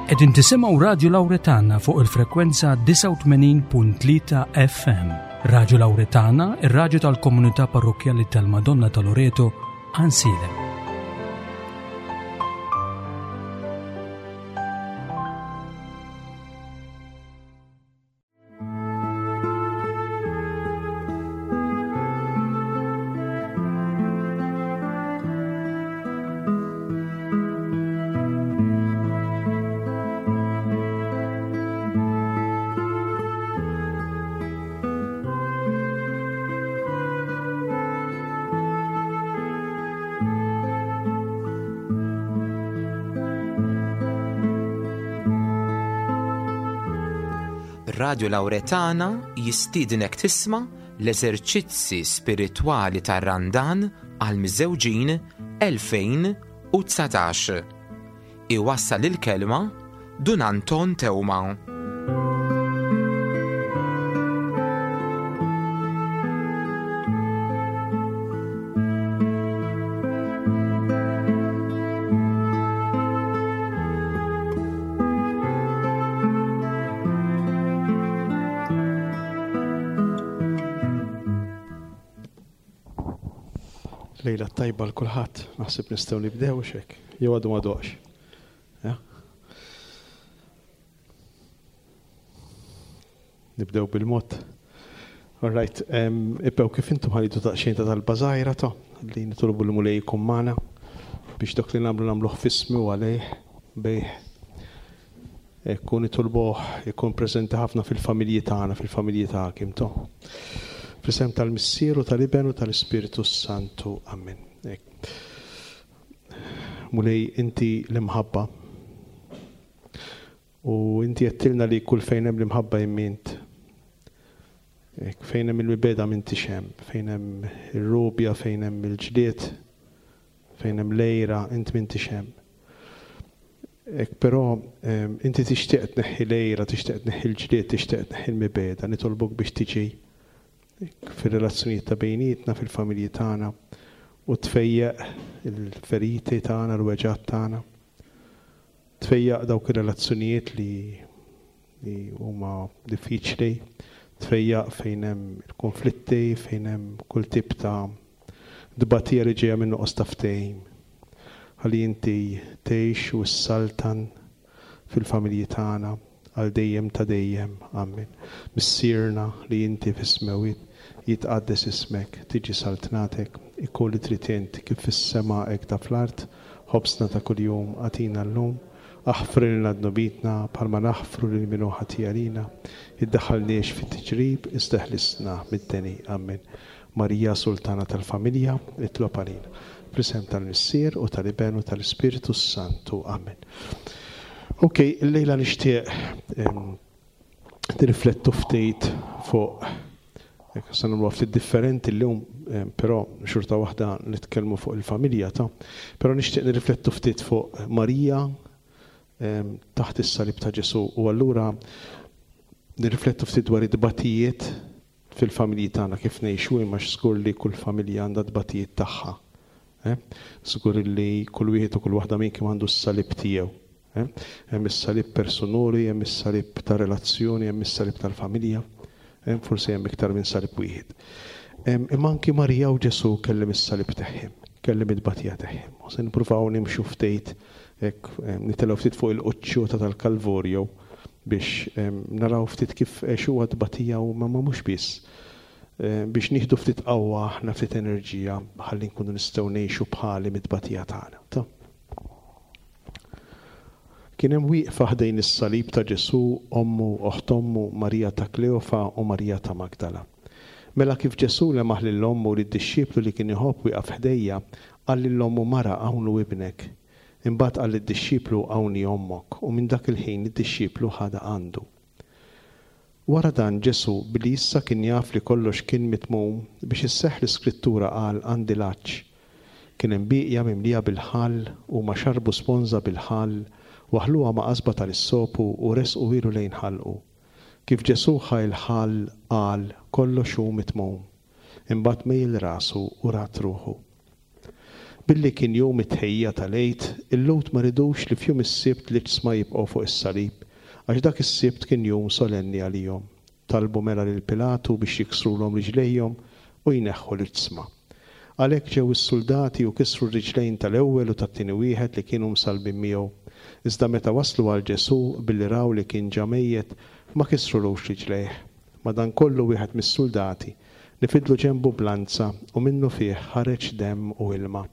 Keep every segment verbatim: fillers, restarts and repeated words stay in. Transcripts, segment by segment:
Qegħdin tisimgħu Radio Lauretana fuq il-frekwenza disgħa u tmenin punt tlieta F M. Radio Lauretana, ir-radju tal-Komunità Parrokkjali tal-Madonna ta' Loreto, Għajnsielem. Radio Lauretana jistiednek tisma' l-eżerċizzi spiritwali tar-Randan għal miżewġin elfejn u dsatax. Iwassal il-kelma Dun Anton Teuma. Lejla tajba l-kulħadd, naħseb nistgħu nibdew xek, jew għadu ma doqx. Ja? Nibdew bil-mod. All right, em, ibbew kif intom ħallitu daqsxejn ta' talba żgħira ta' li nitolbu l-Mulej jkun magħna biex dak li nagħmlu nagħmluh f'ismu u għalih bejh. Ekku nitolbuh ikun preżenti ħafna fil-familji tagħna, fil-familji tagħkom to. Fl-isem tal-Missier u tal-Iben u tal-Ispirtu Santu. Amen. Ek. Mulej, inti l-imħabba. U inti għedtilna li kull fejn hemm l-imħabba immint. Ek, fejn hemm il-mibeda m'intix hemm, fejn hemm ir-rubja, fejn hemm il-ġlied, fejn hemm l-għira, int m'intix hemm. Ek, però, em, inti tixtieq tneħħi l-għira, tixtieq tneħħi l-ġlied, tixtieq tneħħi l-mibeda, nitolbok biex tiġi fir-relazzjonijiet ta' bejnietna, fil-familji tagħna, u tfejjaq il-feriti tagħna, l-weġgħat tagħna. Tfejjaq dawk ir-relazzjonijiet li, li huma diffiċli, tfejjaq fejn hemm il-konflitti, fejn hemm kull tip ta' dbatija li ġejja minn nuqqas ta' ftehim. Ħalli inti tgħix u ssaltan fil-familji tagħna għal dejjem ta' dejjem. Amen. Missierna li inti fis-smewwiet, jitqaddes ismek, tiġi saltnatek, ikun li trid int kif fis-sema hekk ta' fl-art, ħobsna ta' kuljum agħtina llum, aħfrilna dnubietna bħalma naħfru lil min hu ħati għalina, iddaħħalniex fit-tiġrib, iżda ħlisna mid-deni. Amen. Marija Sultana tal-Familja, itlob għalina. Fl-isem tal-Missier u tal-Iben u tal-Ispirtu Santu. Amen. Ok, illejla nixtieq, em, nirriflettu ftit fuq, jekk se nagħmlu ftit differenti llum, em, però xorta waħda nitkellmu fuq il-familja ta', però nixtieq nirriflettu ftit fuq Marija, em, taħt is-salib ta' Ġesù, u allura nirriflettu ftit dwar id-tbatijiet fil-familji tagħna kif ngħixu, imma żgur li kull familja għandha tbatijiet tagħha. Eh? Żgur li kull wieħed u kull waħda minnkom għandu s-salib tiegħu. Eh? Hemm is-salib personali, hemm is-salib ta' relazzjoni, hemm is-salib tal-familja, eh? Forsi hemm iktar minn salib wieħed. Em, imma anki Marija u Ġesù kellem is-salib tagħhom, kellem it-tbatija tagħhom. U se nippruvaw nimxu ftit, hekk, em, nitilgħu ftit fuq il-quċċuta tal-Kalvorju biex, em, naraw ftit kif għexuha tbatija u ma mhux biss. Em, biex nieħdu ftit qawwa aħna ftit enerġija ħalli nkunu nistgħu ngħixu bħali mit-tbatija tagħna. Ta? Kien hemm wieqfa ħdejn is-salib ta' Ġesù, ommu, oħt ommu, Marija ta' Kleofa u Marija ta' Magdala. Mela kif Ġesù lemaħ lil ommu u lid-dixxiplu li kien iħobb wieqaf ħdejja, qal lil ommu, Mara, hawn hu ibnek. Imbagħad qal lid-dixxiplu, Hawn hi ommok, u minn dak il-ħin id-dixxiplu ħadha għandu. Wara dan Ġesù, billi issa kien jaf li kollox kien mitmum, biex isseħħ l-iskrittura qal, Għandi l-għatx. Kien hemm bieqja mimlija bil-ħall, u ma xarbu sponża bil-ħall, waħluha ma' qasba tal-issopu u resqu ilu lejn ħalqu. Kif Ġesù ħa l-ħall qal, Kollox hu mitmum. Imbagħad mejjel rasu u rat ruħu. Billi kien jum it-tħejjija tal-Għid, il-Lhud ma ridux li f'jum is-Sibt l-iġsma jibqgħu fuq is-salib, għax dak is-Sibt kien jum solenni għalihom. Talbu mela lil Pilatu biex jiksrulhom riġlejhom u jneħħu l-iġsma. Għalhekk ġew is-suldati u kisru r-riġlejn tal-ewwel u tat-tieni wieħed li kienu msallbin miegħu. Iżda meta waslu għal Ġesù billi raw li kien ġa mejjet, ma kisrulux riġlejh. Madankollu wieħed mis-suldati nifidlu ġenbu b'lanza u minnu fih ħareġ demm u ilma.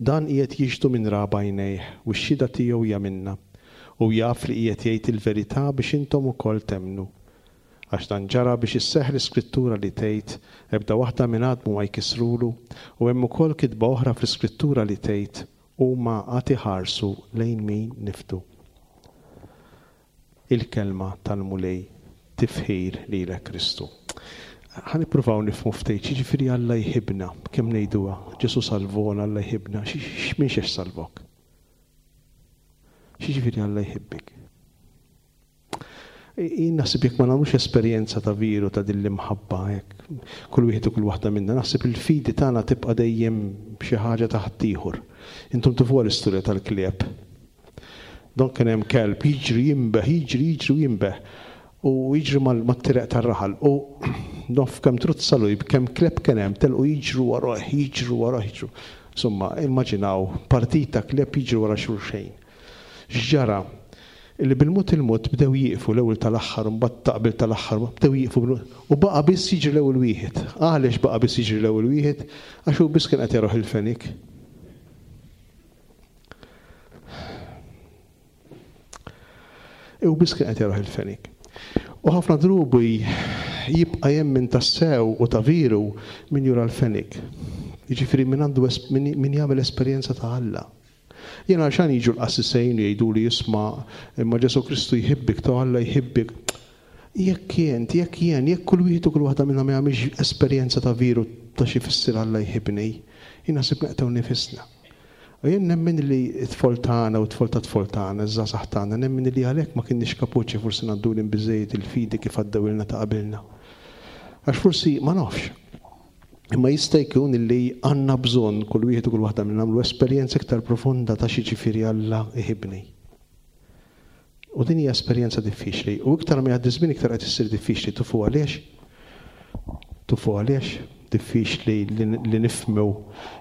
Dan qiegħed jixhdu min ra b'għajnejh u x-xhieda tiegħu hija minna, u jaf li qiegħed jgħid il-verità biex intom ukoll temmnu. Għax dan ġara biex isseħħ l-iskrittura li tgħid, ebda waħda minn għadmu ma jkissrulu, u hemm ukoll kitba oħra fl-iskrittura li tgħid, huma għad iħarsu lejn min nifdu. Il-kelma tal-Mulej, tifħir lilek Kristu. Ħa nippruvaw nifhmu ftit, jiġifieri Alla jħibna, kemm ngħiduha, Ġesù salvona, Alla jħibna, x'minn xiex salvok? X'jiġifieri Alla jħibbik? Jien naħseb jekk ma nagħmlux esperjenza ta' veru ta' din l-imħabba, hekk, kull wieħed u kull waħda minna, naħseb il-fidi tagħna tibqa' dejjem xi ħaġa ta' ħaddieħor. Intom tafuha l-istorja tal-klieb. Don kien hemm kelb jiġri jinbeħ, jiġri, jiġri u jinbeħ. U jiġri mat-triq tar-raħal. U nof kemm truzzalu, kemm kleb kien hemm, telqu jiġru warah, jiġru warah, jiġru. Insomma, immaġinaw partita kleb jiġru wara xulxejn. X'ġara? Illi bil-mod il-mod bdew jieqfu l-ewwel tal-aħħar, mbagħad taqbel tal-aħħar, bdew jieqfu bil-mod, u baqa' biss jiġri l-ewwel wieħed. Għaliex baqa' biss jiġri l-ewwel wieħed? Għax hu biss kien qed jaroh il-fenik. U biss kien qed jaroh il-fenik. U ħafna drubi jibqa' jemmen tassew u ta' veru min jura l-fenik. Jiġifieri min għandu es-, min, min jagħmel esperjenza ta' Alla. Jien għalxan jiġu l-qassisejn u jgħidu li jisma' imma Ġesù Kristu jħibbik, ta' Alla jħibbik. Jekk jien, jekk jien, jekk kull wieħed u kull waħda minna ma jagħmilx esperjenza ta' veru ta' xi jfisser Alla jħibbni, jien naħseb neqtgħu nifisna. U jien nemmen li t-tfol tagħna u t-tfol ta' tfol tagħna, iż-żgħażagħ tagħna, nemmen li għalhekk ma kienniex kapaċi forsi ngħaddulhom biżejjed il-fidi kif għaddewilna ta' qabilna. Għax forsi ma nafx. Imma jista' jkun li għandna bżonn kull wieħed u kull waħda minna nagħmlu esperjenza iktar profonda ta' xi ġifieri Alla jħibbni. U din hija esperjenza diffiċli. U iktar ma jgħaddi żmien iktar qed issir diffiċli. Tufu għaliex? Tufu għaliex? Diffiċli li, li nifhmu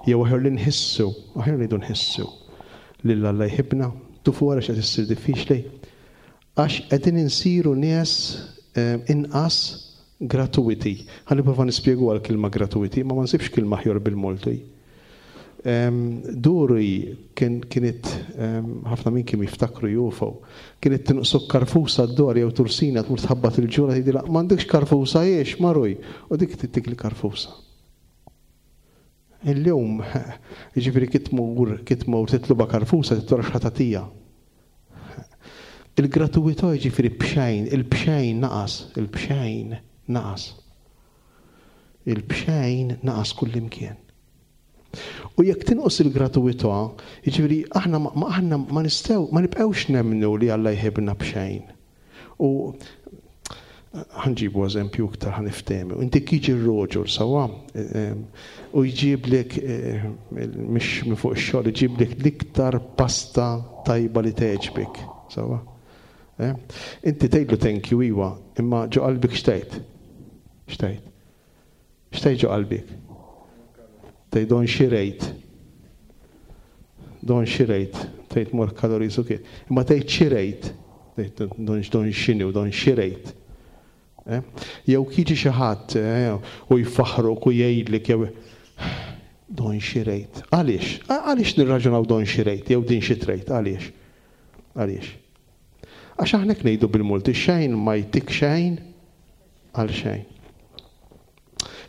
jew aħjar li nħissu, aħjar ngħidu nħissu lil Alla jħibbna. Tufu għaliex qed issir diffiċli? Għax qegħdin insiru nies, eh, inqas gratuiti. Ħa nipprova nispjegu għal kelma gratuiti, ma ma nsibx kelma aħjar bil-Malti. Em, Duri kien, kienet, em, ħafna minn kien jiftakru jufu, kienet tinqsok karfusa d-dor jew tursina tmur tħabbat il-ġura tgħidilha m'għandekx karfusa jiex maruj, u dik tittik li karfusa. Illum, jiġifieri kif tmur, kif tmur titluba karfusa tittora x'ħatatija. Il-gratuità jiġifieri b'xejn, il-bxejn naqas, il-bxejn naqas. Il-bxejn naqas kullimkien. U jekk tinqos il-gratuità, jiġifieri aħna ma, ma, aħna ma nistgħu, ma nibqgħux nemmnu li Alla jħibna b'xejn. U ħanġibu eżempju iktar ħaniftehmu. Inti kiġi r-roġor sawa, u jġiblek, eh, mhix minn fuq ix-xogħol, jġiblek l-iktar pasta tajba li tgħeġbek, sawa. Eh? Inti tgħidlu thank you iwa, imma ġo qalbik x'tgħid? X'tgħid? X'tgħid ġo qalbik? Tgħid don xi rejt. Don xi rejt, tgħid more calories u kif. Imma tgħid xi rejt. Tgħid don, don x'inhi u don xi rejt. Eh? Jew kiġi xi ħadd, eh, u jfaħruk u jgħidlek jew don xi rejt. Għaliex? Għaliex nirraġunaw don xi rejt jew din xi trejt? Għaliex? Għaliex? Għax aħna hekk ngħidu bil-multi xejn ma jtik xejn għal xejn.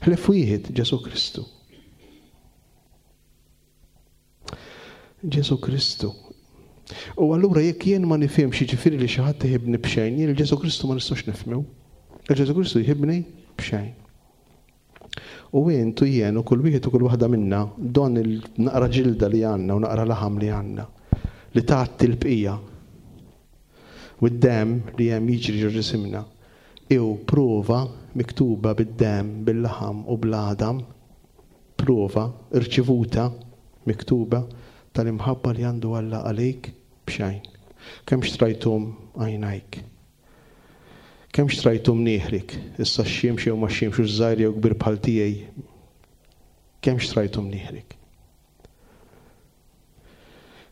Ħlef wieħed Ġesù Kristu. Ġesù Kristu. U allura jekk jien ma nifhimx jiġifieri li xi ħadd iħibni b'xejn, jien il-Ġesù Kristu ma nistax nifhmu. Il-Ġesù Kristu jħibni b'xejn. U int u jien u kull wieħed u kull waħda minna don il-naqra ġilda li għandna u naqra laħam li għandna li tgħatti l-bqija u d-demm li hemm jiġri ġo ġisimna iw prova miktuba bid-demm, bil-laħam u bl-għadam prova irċivuta miktuba tal-imħabba li għandu Alla għalik b'xejn. Kemm xtrajthom għajnajk? Kemm xtrajthom nieħrik? Issa x'xemx jew ma x'xemx u żgħir jew kbir bħal tiegħi. Kemm xtrajthom nieħrik?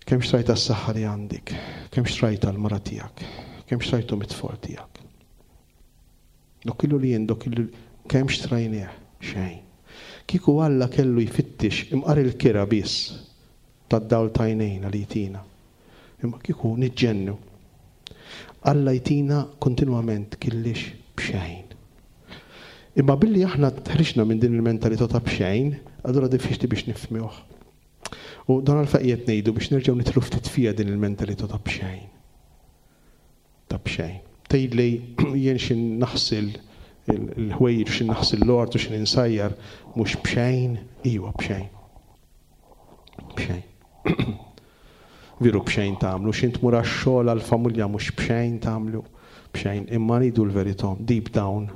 Kemm xtrajta s-saħħa li għandek? Kemm xtrajta l-mara tiegħek? Kemm xtrajthom it-tfal tiegħek? Dok illu li jien, dok illu kemm xtrajnieh? Xejn. Kieku Alla kellu jfittix imqar il-kira biss tad-dawl tajnejna li jtina. Imma kieku niġġennu. Alla jtina kontinwament killix b'xejn. Imma billi aħna tħriġna minn din il-mentalità ta' b'xejn, allura diffiċli biex nifhmuh. U dan għalfejn qed ngħidu biex nerġgħu nidħlu ftit fija din il-mentalità ta' b'xejn. Ta' b'xejn. Tgħidli jien xi naħsil il-ħwejjeġ, xi naħsil l-ort u xi insajjar, mhux b'xejn, iwa b'xejn. B'xejn. Veru b'xejn tagħmlu, xi tmur għax-xogħol għall-familja mhux b'xejn tagħmlu, b'xejn, imma rridu l-verità, deep down.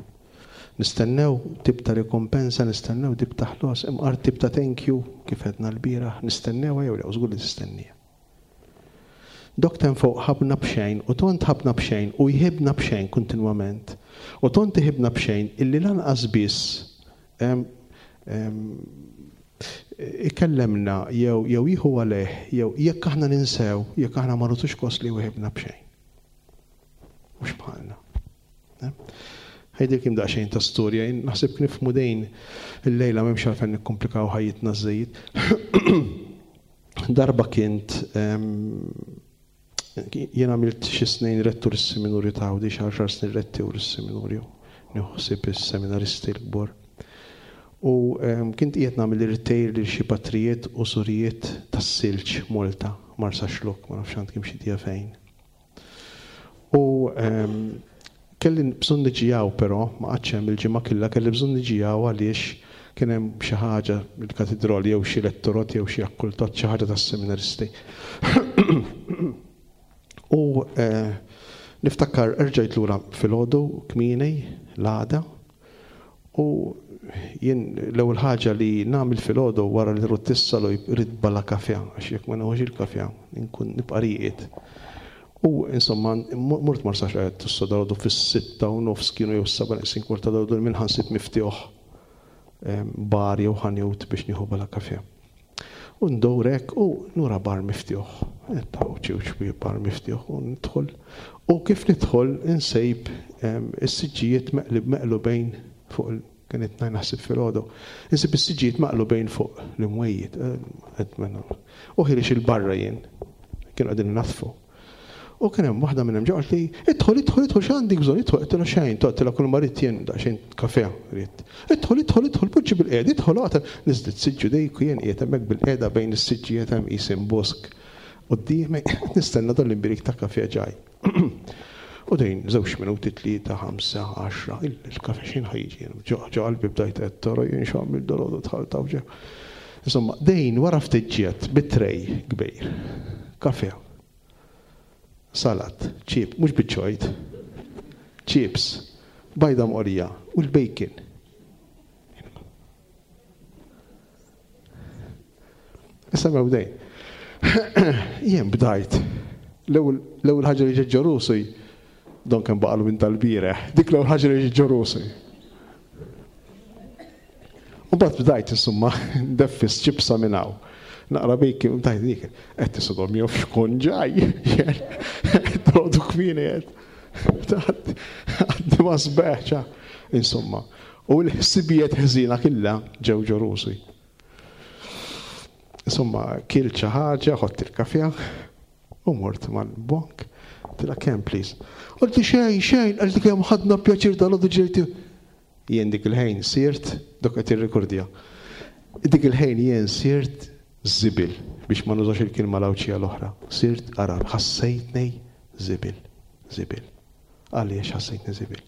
Nistennew tip ta' rikompensa, nistennew tip ta' ħlos, imqar tip ta' thank you, kif għedna l-bieraħ, nistennew jew le, żgur li tistennija. Dok tem fuq ħabna b'xejn, u tont ħabna b'xejn, u jħibna b'xejn kontinwament. U tont iħibna b'xejn illi lanqas biss em, em, ikellemna jew jew jieħu għalih, jew jekk aħna ninsew, jekk aħna ma nagħtux kos li jħibna b'xejn. Mhux bħalna. Ħajdilkom daqsxejn ta' storja, jien naħseb nifhmu dejn il-lejla m'hemmx għalfejn nikkomplikaw ħajjitna żejjed. Darba kint em, jien għamilt xi snin rettur is-seminarju ta' Għawdex, xi għaxar snin rettur is-seminarju, nieħu is-seminaristi l-kbar. U em, kint qiegħed nagħmel irtejr lil xi patrijiet u surijiet tas-silġ Malta, Marsaxlokk, ma nafx għandkom xi idea fejn. U em, kelli bżonn niġi hawn però, ma qgħadtx hemm il-ġimgħa kollha, kelli bżonn niġi hawn għaliex kien hemm xi ħaġa mill-katedral jew xi lettorot jew xi akkultat, xi ħaġa tas-seminaristi. U eh, niftakar erġajt lura filgħodu kmieni l-għada u jien l-ewwel ħaġa li nagħmel filgħodu wara li rrid tissalu jrid bala kafè, għax jekk ma nieħux il-kafè nkun nibqa' rieqed. U insomma, mort Marsaxlokk tissa dalgħodu fis-sitta u nofs kienu jew s-seba' neqsin kwarta dalgħodu minn ħansib miftuħ bar jew ħanut biex nieħu bala kafè. U ndorek u nura bar miftuħ. Ta' u ċiw bar miftuħ u nidħol. U kif nidħol insejb is-siġġijiet meqlib meqlubejn fuq il- kienet ngħid naħseb filgħodu. Insib is-siġġijiet maqlubejn fuq l-imwejjed. U ħireġ il-barra jien. Kienu qegħdin naddfu. U kien hemm waħda minnhom ġo li idħol, idħol, idħol, x'għandek bżonn, idħol, għedtilha xejn, għedtilha kull ma ridt jien daqsxejn kafè ridt. Idħol, idħol, idħol, poġġi bil-qiegħda, idħol, oqgħod. Niżlet siġġu dejku jien qiegħed hemmhekk bil-qiegħda bejn is-siġġijiet hemm isim bosk. Quddiemi nistenna dan l-imbirik ta' kafè ġaj. U dejn żewġ minuti, tlieta, ħamsa, għaxra, il-kafè xejn ħajġi. Ġo qalbi bdajt qed tara jien x'għamil dalgħodu dħalt hawn ġew. Insomma, dejn wara ftit ġiet bit-tray kbir. Kafè. Salat, chip, mhux biċ-ċojt, chips, bajda mqorija u l-bacon. Issa mew dejn. Jien bdajt. L-ewwel ħaġa li ġiet ġo rusi, don kemm baqalu minn tal-bieraħ, dik l-ewwel ħaġa li ġiet ġo rusi. U mbagħad bdajt insomma ndeffis ċipsa minn hawn. Naqra bacon, u tajt dik, qed tisodhom jew xkun ġaj. Trodu kmieni qed. Għaddi ma sbeħ, insomma. U l-ħsibijiet ħżiena kollha ġew ġo rusi. Insomma, kilt xi ħaġa, ħadt il-kafè, u mort mal-bank. Tila kemm, please. Qaltli xejn, xejn, qaltli kemm ħadna pjaċir dal-għodu ġejti. Jien dik il-ħin sirt, dok qed irrekordja. Dik il-ħin jien sirt zibil, biex ma nużax il-kelma l-Għawdxija l-oħra. Sirt arar, ħassejtni zibil, zibil. Għaliex ħassejtni zibil?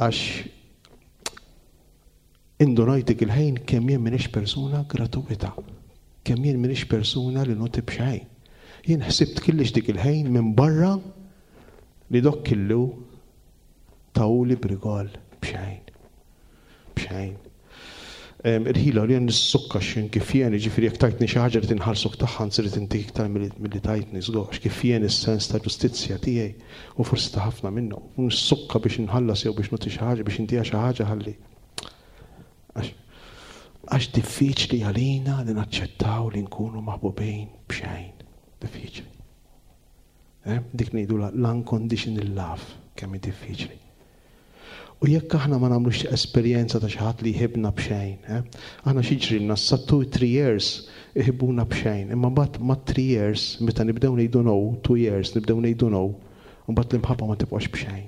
Għax indunajt dik il-ħin kemm jien m'iniex persuna gratuita, kemm jien m'iniex persuna li noti b'xejn. Jien ħsibt kellix dik il-ħin minn barra li dok kellu tawli brigol b'xejn. B'xejn. Irħila li jien nissukka x'in kif jien, jiġifieri jekk tajtni xi ħaġa li tinħarsuk tagħha nsir intik iktar milli tajtni żgur, għax kif jien is-sens ta' ġustizzja tiegħi u forsi ta' ħafna minnhom. U nissukka biex inħallas jew biex nagħti xi ħaġa biex intiha xi ħaġa ħalli. Għax diffiċli għalina li naċċettaw li nkunu maħbubin b'xejn. Diffiċli. Dik ngħidu l-unconditional love kemm hi diffiċli. U jekk aħna ma nagħmlux esperjenza ta' xi ħadd li jħibna b'xejn, aħna xi ġrilna sa two three years iħibbuna b'xejn, imma mbagħad ma' three years meta nibdew ngħidu no, two years nibdew ngħidu no, mbagħad l-imħabba ma tibqax b'xejn.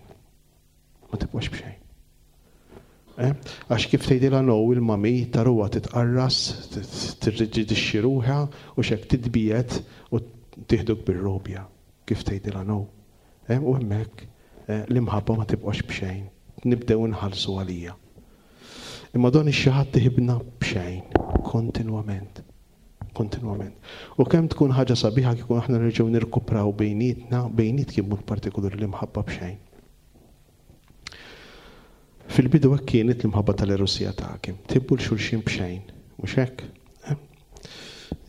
Ma tibqax b'xejn. Għax kif tgħidilha no il-mami taruha titqarras, tirriġidixxi ruħha u x'hekk titbiet u tieħduk bir-robja kif tgħidilha no. U hemmhekk l-imħabba ma tibqax b'xejn. Nibdew nħallsu għalija. Imma don ix-xi ħadd iħibna b'xejn, kontinwament. Kontinwament. U kemm tkun ħaġa sabiħa kieku aħna nerġgħu nirkupraw bejnietna, bejniet kien mod partikolari l-imħabba b'xejn. Fil-bidu hekk kienet l-imħabba tal-erusija tagħkom. Tibbu l-xulxin b'xejn, mhux hekk?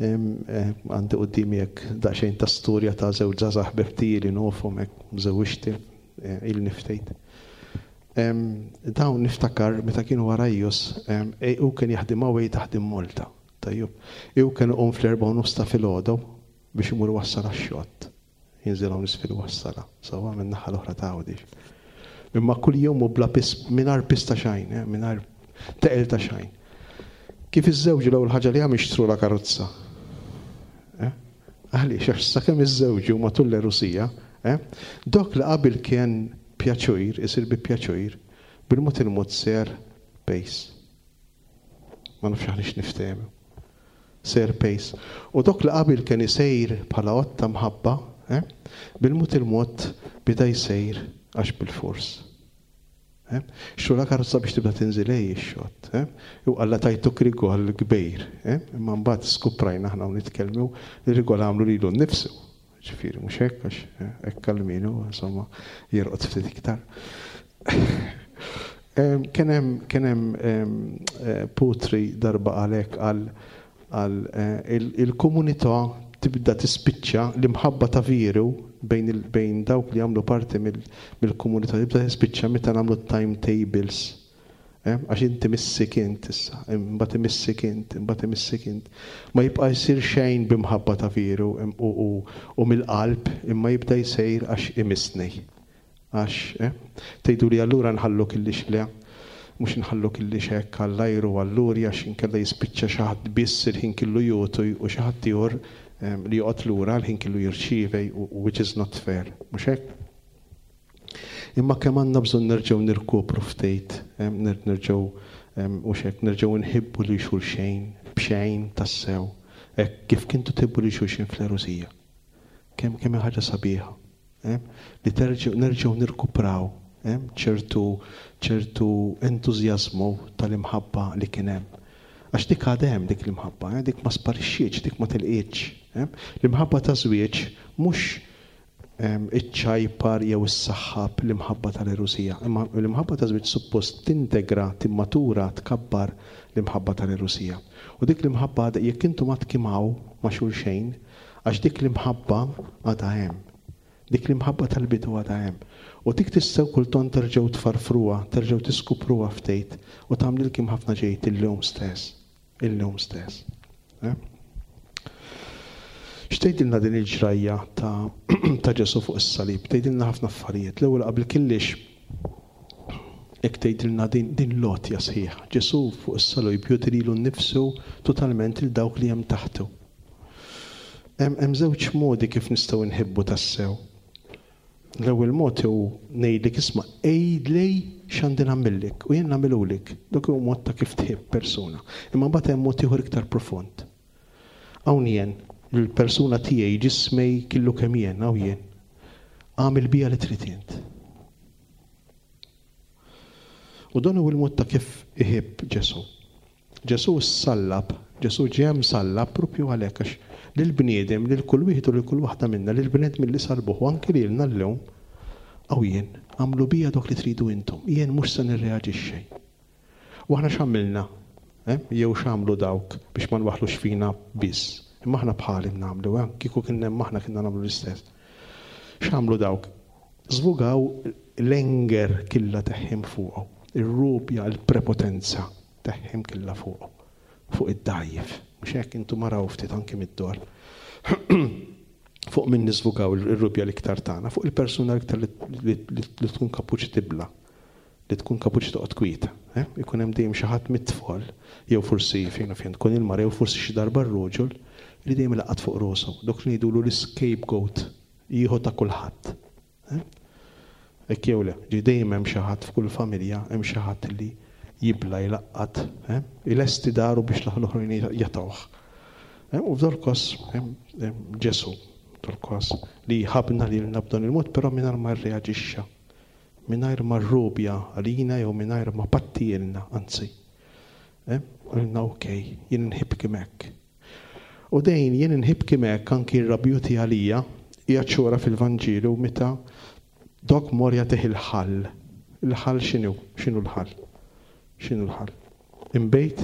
Għandi quddiemi hekk daqsxejn ta' storja ta' żewġ żgħażagħ ħbib li nofhom hekk żewġti il-niftejt. Dawn niftakar meta kienu għarajjus, u kien jaħdem hawn taħdem Malta. Tajjeb. U kien iqum fl-erbgħa u nofs ta' filgħodu biex imur wassal għax-xott. Jinżel hawn isfel wassala, sewwa min-naħa l-oħra ta' Għawdex. Imma kull jum u bla pis, mingħajr pis ta' xejn, mingħajr teqel ta' xejn. Kif iż-żewġ l-ewwel ħaġa li għam ixtru la karozza. Għaliex, għax sakemm iż-żewġ matul l-erusija, dok li qabel kien pjaċur, isir bi pjaċur, bil-mod il-mod ser pace. Ma nafx aħniex niftehmu. Ser pace. U dok li qabel kien isejr bħala għotta mħabba, bil-mod il-mod bida jsejr għax bil-fors. Xtru la karozza biex tibda tinżil ej ix-xott. U qalla tajtuk rigol kbir. Imma mbagħad skuprajna aħna u nitkellmu li rigol għamlu lilu nnifsu. Ġifieri mhux hekk għax hekk kalminu, insomma, jirqod ftit iktar. Kien hemm kien hemm Putri darba għalhekk għal għal il-komunità tibda tispiċċa l-imħabba ta' veru bejn bejn dawk li jagħmlu parti mill-komunità tibda tispiċċa meta nagħmlu timetables. Għax inti missik int issa, imbagħad imissik int, imbagħad imissik int. Ma jibqa' jsir xejn b'imħabba ta' veru u mill-qalb, imma jibda jsejr għax imissni. Għax, tgħidu li allura nħallu killix le, mhux nħallu killix hekk għall-ajru allura għax inkella jispiċċa xi ħadd biss il-ħin kellu jutu u xi ħadd ieħor li joqgħod lura l-ħin kellu jirċievi, which is not fair, mhux hekk? Imma kemm għandna bżonn nerġgħu nirkopru ftit, nerġgħu mhux hekk, nerġgħu nħibbu lil xulxejn b'xejn tassew, hekk kif kintu tħibbu lil xulxin fl-erusija. Kemm kemm ħaġa sabiħa, li terġgħu nerġgħu nirkupraw ċertu ċertu entużjażmu tal-imħabba li kien hemm. Għax dik għadha hemm dik l-imħabba, dik ma sparixxietx, dik ma tilqietx. L-imħabba ta' żwieġ mhux iċ-ċajpar jew is-saħħab l-imħabba tal-erusija. Imma l-imħabba ta' żwieġ suppost tintegra, timmatura, tkabbar l-imħabba tal-erusija. U dik l-imħabba għadha jekk intom ma tkimaw ma' xulxejn, għax dik l-imħabba għadha hemm. Dik l-imħabba tal-bidu għadha hemm. U dik tistgħu kultant terġgħu tfarfruha, terġgħu tiskupruha ftit u tagħmlilkom ħafna ġejt illum stess. Illum stess. X'tgħidilna din il-ġrajja ta' ta' Ġesù fuq is-salib? Tgħidilna ħafna affarijiet. L-ewwel qabel kellix hekk tgħidilna din, din l-għotja sħiħa. Ġesù fuq is-salib jgħoti lilu nnifsu totalment lil dawk li hemm taħtu. Hemm żewġ modi kif nistgħu nħibbu tassew. L-ewwel mod hu ngħidlek isma' għidli x'għandi nagħmillek u jien nagħmilulek. Dak hu mod ta' kif tħibb persuna. Imma mbagħad hemm mod ieħor iktar profond. Hawn jien l-persuna tiegħi ġismej killu kemm jien, hawn jien. Għamil bija li trid int. U dan hu l-mod ta' kif iħibb Ġesù. Ġesù ssallab, Ġesù ġie msallab propju għalhekk għax lill-bniedem, lil kull wieħed u lil kull waħda minna, lill-bnedmin li salbuh u anke lilna llum, hawn jien, għamlu bija dok li tridu intom, jien mhux se nirreaġixxi. U aħna x'għamilna? Eh? Jew x'għamlu dawk biex ma nwaħħlux fina biss. Imma aħna bħalim nagħmlu, eh? Kieku kien hemm aħna kienna nagħmlu l-istess. X'għamlu dawk? Żvugaw l-anger killa teħħim fuqu, ir-rubja, il-prepotenza teħħim killa fuqu, fuq id-dajjef. Mhux hekk intom maraw ftit anki mid-dor. Fuq min niżvugaw ir-rubja l-iktar tagħna, fuq il-persuna l-iktar li tkun kapuċi tibla, li tkun kapuċi toqgħod kwieta. Eh? Ikun hemm dejjem xi ħadd mit-tfal, jew forsi fejn fejn tkun il-mara, jew forsi xi darba r-roġol li dejjem laqat fuq rosu. Dok li ngħidulu l-scapegoat, jieħu ta' kulħadd. Eh? Hekk jew le, ġi dejjem hemm xi ħadd f'kull familja, hemm xi ħadd li jibla jlaqqat, eh? Ilesti daru biex l-oħrajn jatawh. Eh? U f'dol kos Ġesu, f'dol kos li ħabna lilna b'dan il-mod, però mingħajr ma rreaġixxa, mingħajr ma rrubja għalina jew mingħajr ma pattielna, anzi. Eh? Qalilna okej, jien nħibki hekk. U dejn jien nħibki hekk anki r-rabjuti għalija hija ċura fil-Vanġelu meta dok mor jagħtih il-ħall. Il-ħall x'inhu? X'inhu l-ħall? X'inhu l-ħall? Imbejt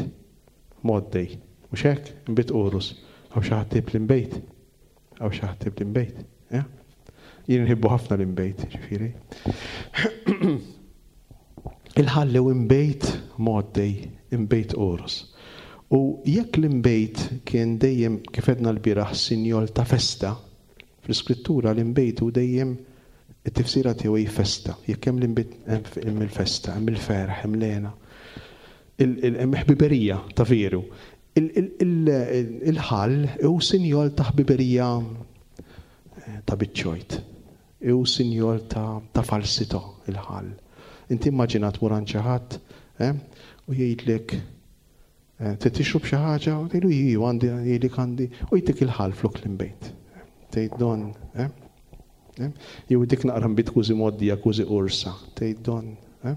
moddej. Mhux hekk? Imbejt qorus. Hawn xi ħadd l-imbejt? Hawn xi ħadd l-imbejt? Eh? Jien nħibbu ħafna l-imbejt, ġifieri. Il-ħall hu imbejt moddej, imbejt qorus. U jekk l-imbejt kien dejjem, kif għedna l-bieraħ, sinjol ta' festa, fl-iskrittura l-imbejt hu dejjem it-tifsira tiegħu hi festa. Jekk hemm l-imbejt hemm il-festa, hemm il-ferħ, hemm l-hena. Hemm ħbiberija ta' veru. Il-ħall hu sinjol ta' ħbiberija ta' biċċojt. Hu sinjol ta' falsità il-ħall. Inti immaġina tmur għand xi ħadd, eh, u jgħidlek, eh, trid tixrob xi ħaġa, u tgħidlu iju għandi, jgħidlek għandi, u jtik il-ħall flok l-imbejt. Tgħid don, eh? Eh? Jew dik naqra nbid kważi moddija, kważi ursa. Tgħid don, eh?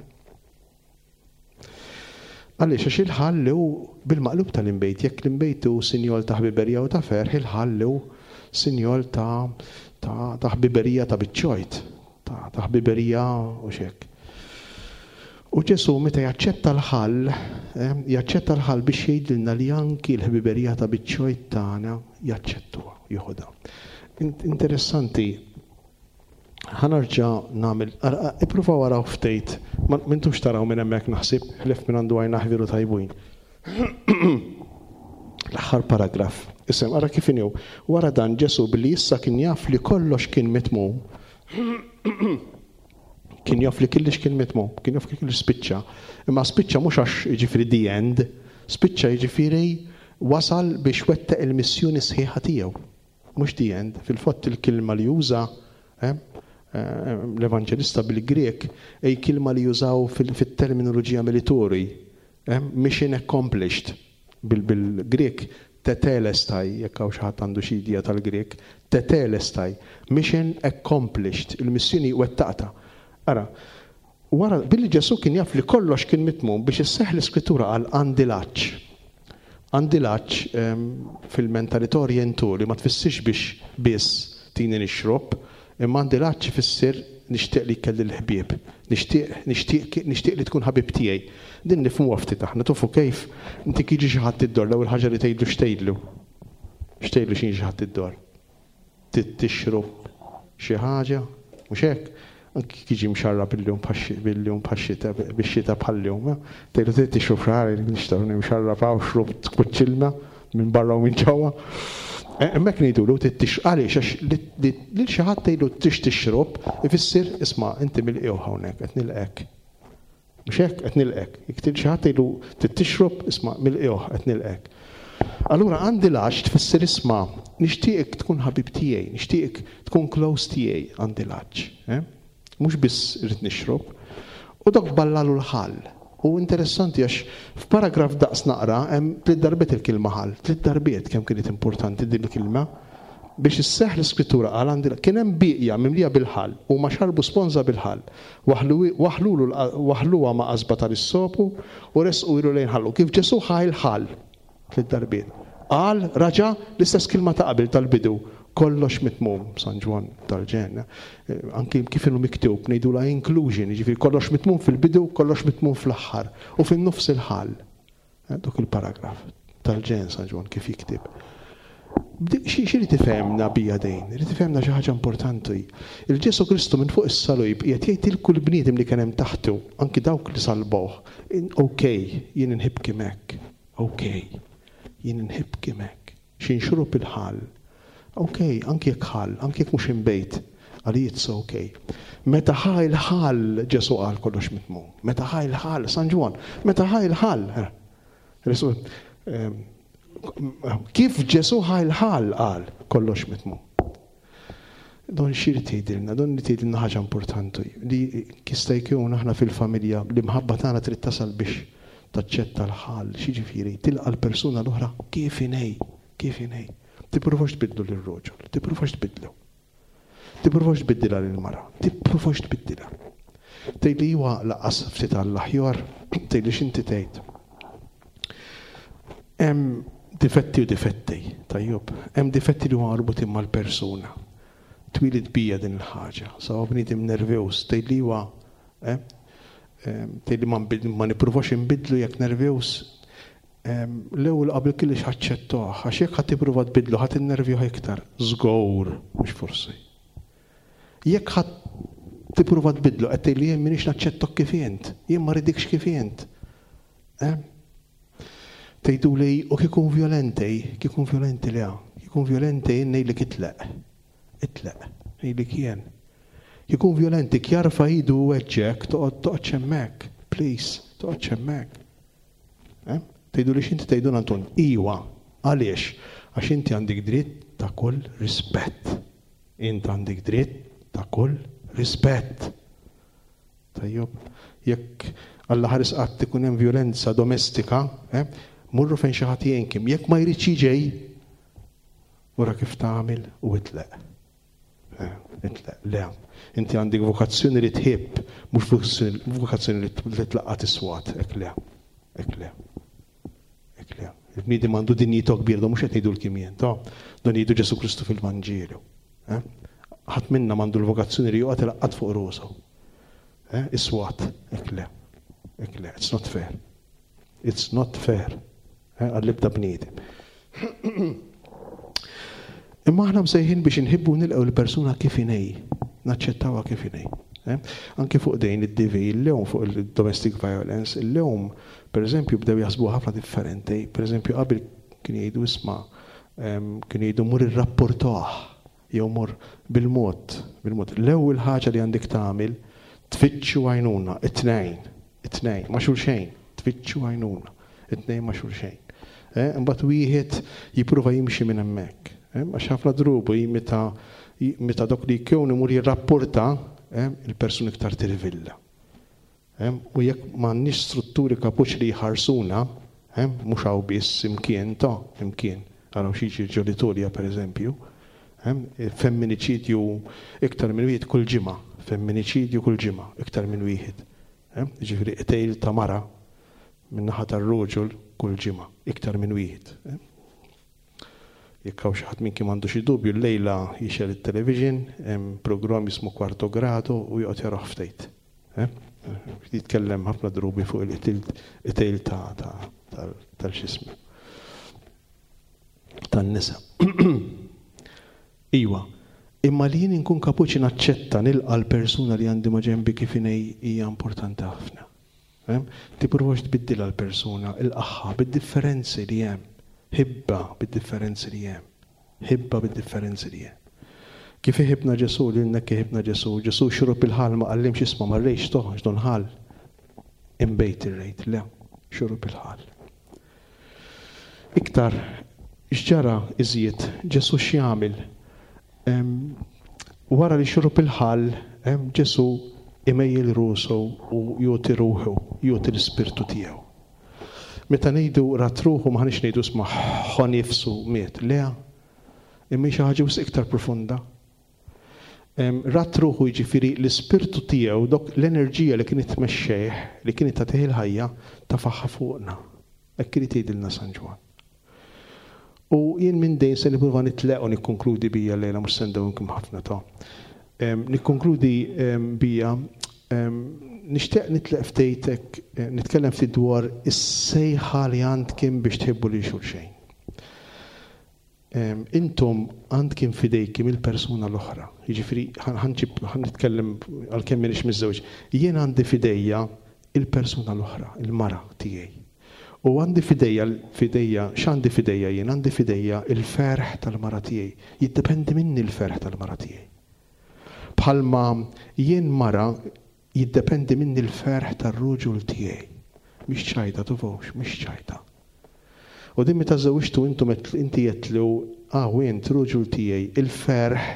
Għaliex għax il-ħall hu bil-maqlub tal-imbejt, jekk l-imbejt hu sinjol ta' ħbiberija u ta' ferħ, il-ħall hu sinjol ta', ta', ta' ħbiberija ta' biċċojt, ta', ta' ħbiberija u xek. U Ġesu meta jaċċetta l-ħall, eh, jaċċetta l-ħall biex jgħidilna li anki l-ħbiberija ta' biċċojt tagħna jaċċettuha, joħodha. Interessanti, ħa nerġa' nagħmel, ippruvaw araw ftit, ma m'intux taraw minn hemmhekk naħseb, ħlief minn għandu għajna ħviru tajbin. L-aħħar paragraf. Isem, ara kif inhu. Wara dan Ġesu billi issa kien jaf li kollox kien mitmum, kien jaf li kollox kien mitmum, kien jaf li kollox spiċċa. Imma spiċċa mhux għax jiġifieri the end, spiċċa jiġifieri wasal biex wettaq il-missjoni sħiħa tiegħu. Mhux the end, fil-fatt il-kelma li juża, eh, eh, l-evanġelista bil-Grek, ej kelma li jużaw fil-terminoloġija militari, eh, mission accomplished, bil-Grek tetelestai, jekk hawn xi ħadd għandu xi idea tal-Grek, tetelestai, mission accomplished, il-missjoni wettaqta. Ara, wara billi Ġesu kien jaf li kollox kien mitmum biex isseħħ l-iskrittura għal għandi l-għatx. Għandi l-għatx, ehm, fil-mentalità orientali ma tfissirx biex biss tini nixrob, imma għandi l-għatx ifisser nixtieq li kelli l-ħbieb, nixtieq, nixtieq, nixtieq li tkun ħabib tiegħi. Din nifhmu ftit aħna, tufu kif inti kiġi xi ħadd id-dor, l-ewwel ħaġa li tgħidlu x'tgħidlu. X'tgħidlu xi ħadd id-dor? Tixrob xi ħaġa, mhux hekk? Anki kiġi mxarrab bil-lum bil-lum bħax-xita, bix-xita bħal-lum, eh? Tgħidlu trid tixrob xi ħaġa, nixtieq nimxarrab hawn xrob tkuċċilna minn barra u minn ġewwa. Eh, hemmhekk ngħidulu trid tix-, għaliex għax li, li, lil xi ħadd tgħidlu tix tixrob, ifisser isma' inti mill-qiegħ hawnhekk qed nilqek. Mhux hekk qed nilqek. Jekk tgħid xi ħadd tgħidlu trid tixrob, isma' mill-qiegħ qed nilqek. Allura għandi l-għatx tfisser isma' nixtieqek tkun ħabib tiegħi, nixtieqek tkun close tiegħi, għandi l-għatx. Eh? Mhux biss irrid nixrob. U dok ballalu l-ħall. U interessanti għax f'paragraf daqs naqra hemm tliet darbiet il-kelma ħall, tliet darbiet kemm kienet importanti din il-kelma biex isseħħ l-iskrittura qal għandi kien hemm bieqja mimlija bil-ħall u ma xarbu sponża bil-ħall. Waħlulu waħluha ma' qasba tal-issopu u resqu ilu lejn ħallu. Kif Ġesu ħa l-ħall tliet darbiet. Qal raġa' l-istess kelma ta' qabel tal-bidu. Kollox mitmum, San Ġwann tal-ġenna. Eh, anki kif inhu miktub, ngħidula inclusion, jiġifieri kollox mitmum fil-bidu, kollox mitmum fl-aħħar u fin-nofs il-ħall. Dok il-paragraf tal-ġen San Ġwann kif jikteb. Xi li tifhemna bija dejn, li tifhemna xi ħaġa importanti. Il-Ġesu Kristu minn fuq is-salib qiegħed jgħid il kull bniedem li kien hemm taħtu, anki dawk li salbuh, okej, jien inħibbek hekk. Okej, jien inħibbek hekk. Xi nxrob il-ħall. Okej, anki jekk ħall, anki jekk mhux inbejt, għalija it's okay. Meta ħa il-ħall Ġesu qal kollox mitmum. Meta ħa il-ħall, San Ġwann, meta ħa il-ħall. Kif Ġesu ħa il-ħall qal kollox mitmum. Don xir tgħidilna, don li tgħidilna ħaġa importanti li jista' jkun aħna fil-familja l-imħabba tagħna trid tasal biex taċċetta l-ħall, x'jiġifieri tilqa' l-persuna l-oħra kif inhi, kif inhi. Tippruvax tbidlu lir-roġol, tippruvax tbidlu. Tippruvax tbiddilha lill-mara, tippruvax tbiddilha. Tgħidli iwa laqas ftit għall-aħjar, tgħidli x'inti tgħid. Hemm difetti u difetti, tajjeb, hemm difetti li huma marbutin mal-persuna. Twieled bija din il-ħaġa, sawa bniedem nervjuż, tgħidli iwa, eh? Tgħidli ma nbid-, ma nippruvax inbidlu jekk nervjuż. L-ewwel qabel kollox aċċettah, għax jekk ħadd tippruva tbidlu ħadd innervjuh iktar, żgur, mhux forsi. Jekk ħadd tippruva tbidlu qed tgħidli jien m'iniex naċċettok kif int, jien ma rridikx kif int. Eh? Tgħidu li u kikun violenti, kikun violenti le, kikun violenti jien ngħidlek itlaq. Itlaq, ngħidlek jien. Kikun violenti kjarfa idu u weġġek, toqgħod toqgħod hemmhekk, please, toqgħod hemmhekk. Eh? Tgħidu li x'inti tgħidu Anton? Iwa, għaliex? Għax inti għandek dritt ta' kull rispett. Int għandek dritt ta' kull rispett. Tajjeb, jekk Alla ħares qatt ikun hemm violenza domestika, eh, morru fejn xi ħadd jgħinkim. Jekk ma jridx jiġi, wara kif tagħmel u itlaq. Eh, itlaq, le. Inti għandek vokazzjoni li tħibb, mhux vokazzjoni li tlaqqa tiswat, hekk le. Hekk le. Hekk le. Il-bniedem għandu dinjità kbir, do mhux qed ngħidu l-kimien, to don jgħidu Ġesu Kristu fil-Vanġelu. Eh? Ħadd minna m'għandu l-vokazzjoni li joqgħod ilaqqat fuq rusu. Eh? Iswat, hekk le. Hekk le, it's not fair. It's not fair. Eh? Għall-ibda bniedem. Imma aħna msejħin biex inħibbu nilqgħu l-persuna kif inhi, naċċettawha kif inhi. Eh? Anki fuq dejn id-D V, il-lewm fuq il-domestic violence, il-lewm, per eżempju, bdew jaħsbu ħafna differenti. Per eżempju, qabel kien jgħidu isma', em, kien jgħidu mur irrapportah, jew mur bil-mod, bil-mod. L-ewwel ħaġa li għandek tagħmel, tfittxu għajnuna, it-tnejn, it-tnejn, ma' xulxejn, tfittxu għajnuna, it-tnejn ma' xulxejn. Eh, imbagħad wieħed jipprova jimxi minn hemmhekk. Eh, għax ħafna drubu meta, meta dok li jkun imur jirrapporta, eh, il-persuna iktar tirvilla. Eh, u jekk m'għandniex strutturi kapuċ li jħarsuna, eh, mhux hawn biss imkien ta' imkien, araw xi jiġri ġol-Italja pereżempju, eh, femminiċidju iktar minn wieħed kull ġimgħa, femminiċidju kull ġimgħa iktar minn wieħed. Eh, jiġifieri qtejl ta' mara minn naħa tar-roġol kull ġimgħa iktar minn wieħed. Eh? Jekk hawn xi ħadd minn kien m'għandu xi dubju llejla jixgħel it-television, hemm programm jismu Quarto Grado u joqgħod jarah ftit. Eh? Jitkellem ħafna drubi fuq il-qtil ta', ta', ta', tal-xismu. Tan-nisa. Iwa, imma li jien inkun kapaċi naċċetta nilqa' l-persuna li għandi ma' ġenbi kif inhi hija importanti ħafna. Eh? Tippruvax tbiddilha l-persuna, ilqaħħa bid-differenzi li hemm. Ħibba bid-differenzi li hemm. Ħibba bid-differenzi li hemm. Kif iħibna Ġesu, lilna kif iħibna Ġesu. Ġesu xrob il-ħall ma qallimx isma' ma rrejx toħ, don ħall. Imbejt ir-rejt, le, xrob il-ħall. Iktar, x'ġara iżjed, Ġesu x'jagħmel? Em, wara li xrob il-ħall, em, Ġesu imejjel rusu u joti ruħu, joti l-ispirtu tiegħu. Meta ngħidu rat ruħu ma ħanix ngħidu isma' ħa nifsu miet, le, imma xi ħaġa wisq iktar profunda. Em, rat ruħu jiġifieri l-ispirtu tiegħu, dok l-enerġija li kienet tmexxejh, li kienet tagħtih il-ħajja, tafaħħa fuqna. Hekk irid jgħidilna San Ġwann. U jien minn dejn se nipprova nitleq u nikkonkludi bija llejla, mhux se ndewwimkom ħafna ta'. Em, nikkonkludi, em, bija Nixtieq nitlaq ftejtek, nitkellem ftit dwar is-sejħa li għandkom biex tħibbu lil xulxejn. Intom għandkom fidejkim il-persuna l-oħra. Jiġifieri ħa nitkellem għalkemm m'iniex miżżewġ. Jien għandi fidejja il-persuna l-oħra, il-mara tiegħi. U għandi fidejja, fidejja, x'għandi fidejja jien? Għandi fidejja il-ferħ tal-mara tiegħi. Jiddependi minni l-ferħ tal-mara tiegħi. Bħalma jien mara jiddependi minni l-ferħ tar-ruġul tiegħi. Mhix ċajta tufux, mhix ċajta. U din meta żewġtu intom inti għedtlu, ah, int ruġul tiegħi, il-ferħ